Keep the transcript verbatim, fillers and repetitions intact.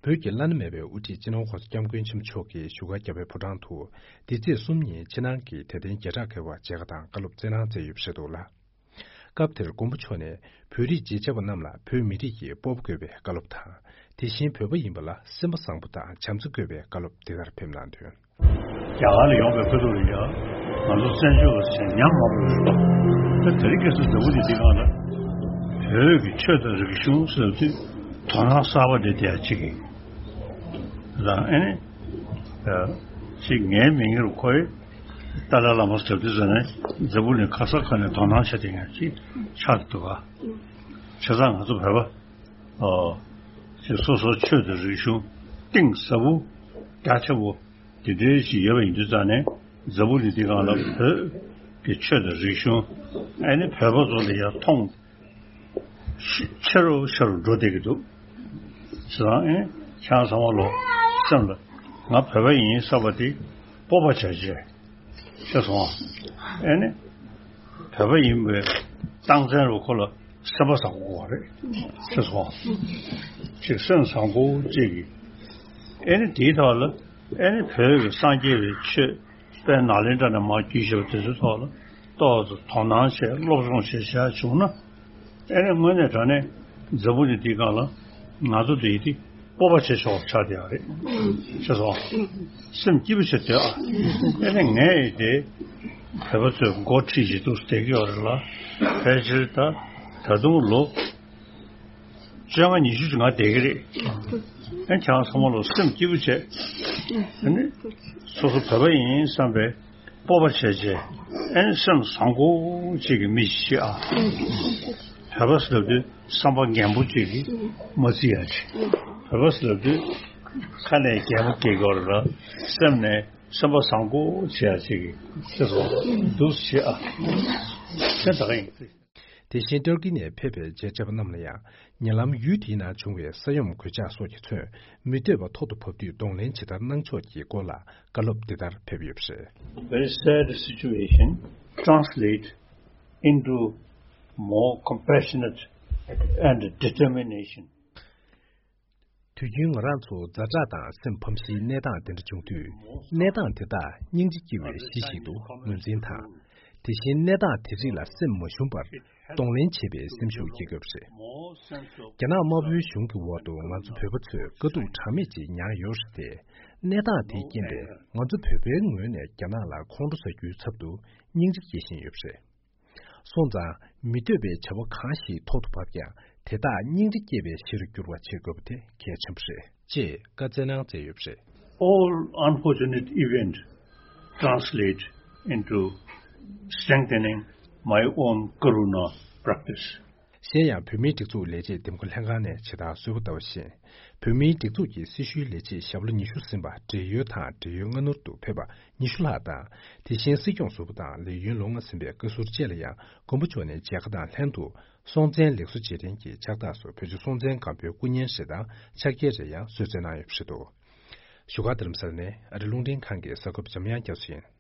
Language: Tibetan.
བོད་ཀྱི་བླ་ན་མེད་པའི་དབུ་ཁྲིད་སྤྱི་ནོར་༸གོང་ས་༸སྐྱབས་མགོན་ཆེན་པོ་མཆོག་གིས་བཞུགས་སྒར་རྒྱལ་བའི་ཕོ་བྲང་དུ། འདི་ཚེས་གསུམ་ཉིན་ཕྱི་ནང་གི་དད་ལྡན་བརྒྱ་ཕྲག་བརྒལ་བ་མཇལ་ཁ་དང་བཀའ་སློབ་སྩལ་གནང་མཛད་ཡོད་པ་རེད་འདུག་ལ། སྐབས་དེར་མགོན་པོ་མཆོག་ནས་བོད་རིགས་རྗེས་ཆགས་པ་རྣམས་ལ་བོད་མི་རིགས་ཀྱི་སྤོབས་པ་དགོས་པའི་བཀའ་སློབ་དང་། དེ་བཞིན་བོད་པ་ཡིན་པ་ལ་སེམས་པ་བཟང་པོ་དང་བྱམས་བརྩེ་དགོས་པའི་བཀའ་སློབ་འདི་ལྟར་ཕེབས་གནང་དོན། རྒྱ་གར་ལ་ཡོང་པའི་ཁ་ཐུག་ལ་ཡ། ང་ཚོ་བཙན་བྱོལ་བ་ཟེར་ཉམས་མང་པོ་ཡོད་པ། ད་དེ་རིང་ཁ་སང་འཛམ་བུ་གླིང་འདི་སྒང་ལ། བོད་ཀྱི་ཆོས་དང་རིག་གཞུང་ཟེར་དུས་དོ་སྣང་གསར་པ་འདི་དེ་ཡང་གཅིག་ཡིན། ད་ཨ་ནི། ཅིག་ངའི་མིང་ངེར་ཁོའི་ཏཱ་ལའི་བླ་མ་ཟེར་དུས་ཟེར་ནས་འཛམ་བུ་གླིང་ག་ས་ག་ནས་དོ་སྣང་བྱེད་དེ་ཡང་ཅིག་ཆགས་འདུག་ག་བྱས་ཙང་ང་ཚོ་བོད་པ། ཨོ། ཅིག་སོ་སོའི་ཆོས་དང་རིག་གཞུང་གཏིང་ཟབ་པོ་རྒྱ་ཆེ་བོ། དེ་འདྲའི་ཞིག་ཡོད་པ་ཡིན་དུས་ཙང་ནས་འཛམ་བུ་གླིང་འདི་སྒང་ལ་བོད་ཀྱི་ཆོས་དང་རིག་གཞུང་ཨ་ནི་བོད་པ་ཚོ་ལ་ཡང་མཐོང་ཆེ་རུ་ཆེ་རུ་འགྲོ་བསྡད་ཀྱི་འདུག་བྱས་ཙང་ཨ་ནི་ཁྱེད་རང་ཚང་མ་ལོ་སེམས་ལ་ང་བོད་པ་ཡིན་བསམ་པ་དེ་སྤོབས་པ་བྱས་བྱས་ཤེས་སོང་ཨ། ཨ་ནི་བོད་པ་ཡིན་པའི་རྟགས་མཚན་རུ་ཁོ་ལ་སེམས་པ་བཟང་པོ་དགོས་པ་རེད། ཤེས་སོང་ཨ། ཅིག་སེམས་བཟང་པོ་ཅིག་གིས་ཨ་ནི་དེའི་ཐོག་ལ། ཨེ་ནི་བོད་ཀྱི་སངས་རྒྱས་པའི་ཆོས་དཔལ་ནཱ་ལེནྡྲ་ནས་མར་བརྒྱུད་བཞག་པ་དེ་ཚོའི་ཐོག་ལ་ཏོག་ཙམ་དོ་སྣང་བྱས་སློབ་སྦྱོང་བྱས་བྱས་བྱུང་ན། ཨེ་ནི་དངོས་གནས་དྲང་གནས་འཛམ་བུ་གླིང་འདིའི་སྒང་ལ་ང་ཚོ་འདི་ཡི་དེ་སྤོབས་པ་བྱེད་ཆོག་ཆགས་བསྡད་ཡོད་རེད། ཤེས་སོང་། སེམས་སྐྱིད་པོ་བྱེད་བསྡད་ཨ། ཨེ་ནི་ངས་ཡི་དེ་བོད་པ་ཚོས་འགོ་ཁྲིད་བྱེད་དུ་བསྡད་ཀྱི་ཡོད་རེད་ལ། ཕལ་ཆེར་ད་ད་དུང་ལོ་བཅོ་ལྔ་ཉི་ཤུ་ཅིག་ང་བསྡད་ཀྱི་རེད། ཨ་ནི་ཁྱེད་རང་ཚང་མ་ལ་སེམས་སྐྱིད་པོ་བྱས། ཨ་ནི་སོ་སོ་བོད་པ་ཡིན་བསམ་པའི་སྤོབས་པ་བྱས་བྱས། ཨ་ནི་སེམས་བཟང་པོ་ཅིག་གི་མི་ཞིག་ཨ། བོད་པ་ཟེར་དུས་བསམ་པ་རྒན་པོ་ཅིག་གིས་མ་བརྩི་ཡ་ཅིག་བོད་པ་ཟེར་དུས་ཁ་ནས་རྒན་པོ་སྐྱེ་དགོས་རེད་ལ། སེམས་ནས་སེམས་པ་བཟང་པོ་བྱེད་ཡ་ཅིག་གི་ཤེས་སོང་འདུག་བྱེད་ཨ། དེ་ད་ག་ཡིན། དེ་བཞིན་ཏུར་ཀི་ནས་ཕེབས་པའི་མཇལ་བཅར་བ་རྣམས་ལ་ཡང་ཉེ་ལམ་ཡུལ་དེའི་ནང་བྱུང་བའི་ས་ཡོམ་གོད་ཆག་སོགས་ཀྱིས་མཚོན་མི་འདོད་པ་ཐོག་ཏུ་བབས་དུས་གདོང་ལེན་ཇི་ལྟར་གནང་ཕྱོགས་ཀྱི་སྐོར་ལ་བཀའ་སློབ་འདི་ལྟར་ཕེབས་ཡོད་པ་རེད། Very sad situation translate into more compassionate and determination. དུས་རྒྱུན་ང་རང་ཚོ་ཛ་དྲག་དང་སེམས་ཕམ་གཞིའི་གནས་སྟངས་དེ་འདྲ་བྱུང་དུས། གནས་སྟངས་དེ་དག་སྙིང་རྗེ་སྐྱེ་བའི་གཞི་ཞིག་ཏུ་ངོས་འཛིན་དང་། དེ་བཞིན་གནས་སྟངས་དེ་རིགས་ལ་སེམས་མ་ཞུམ་པར་གདོང་ལེན་བྱེད་པའི་སེམས་ཤུགས་སྐྱེ་དགོས་པ་རེད། རྒྱ་ནག་དམར་པོའི་གཞུང་གི་འོག་ཏུ་ང་ཚོ་བོད་པ་ཚོས་དཀའ་སྡུག་གྲངས་མེད་ཅིག་མྱངས་ཡོད་རེད་དེ། གནས་སྟངས་དེའི་རྐྱེན་པས་ང་ཚོ་བོད་པའི་ངོས་ནས་རྒྱ་ནག་ལ་ཁོང་ཁྲོ་ཟ་རྒྱུའི་ཚབ་ཏུ་སྙིང་རྗེ་སྐྱེ་བཞིན་ཡོད་པ་རེད། སོང་ཙང་མི་འདོད་པའི་བྱ་བ་གང་ཞིག་ཐོག་ཏུ་བབས་ཀྱང་དེ་དག་སྙིང་རྗེ་སྐྱེ་བའི་གཞིར་འགྱུར་བ་བྱེད་དགོས་པ་དེ་གལ་ཆེན་པོ་རེད། ཅེས་བཀའ་སྩལ་གནང་མཛད་ཡོད་པ་རེད། All unfortunate event translate into strengthening my own Karuna practice. གཞན་ཡང་བོད་མིའི་སྒྲིག་འཛུགས་ལས་བྱེད་འདེམས་བསྐོ་ལྷན་ཁང་ནས་ཇི་ལྟར་གསོལ་བ་བཏབ་པ་བཞིན། བོད་མིའི་སྒྲིག་འཛུགས་ཀྱི་སྲི་ཞུའི་ལས་བྱེད་ཞབས་ལོ་ཉི་ཤུ་ཟིན་པ་བགྲེས་ཡོལ་དང་བགྲེས་ཡོལ་སྔ་སྣུར་དུ་ཕེབས་པ་ཉི་ཤུ་ལྷག་དང་། དེ་བཞིན་སྲིད་སྐྱོང་ཟུར་པ་དང་ལས་ཡུན་ལོ་ལྔ་ཟིན་པའི་བཀའ་ཟུར་བཅས་ལ་ཡང་མགོན་པོ་མཆོག་ནས་མཇལ་ཁ་དང་ལྷན་དུ་སྲོང་བཙན་ལེགས་གསོ་རྗེས་དྲན་གྱི་ཕྱག་རྟགས་སུ་བོད་ལྗོངས་སྲོང་བཙན་སྒམ་པོའི་སྐུ་བརྙན་རེ་དང་ཕྱག་འཁྱེར་རེ་ཡང་གསོལ་སྩལ་གནང་ཡོད་པ་རེད་འདུག་བཞུགས་སྒར་རྡ་རམ་ས་ལ་ནས་ཨ་རི་རླུང་འཕྲིན་ཁང་གི་གསར་འགོད་པ་འཇམ་དབྱངས་རྒྱ་མཚོ་ཡིན།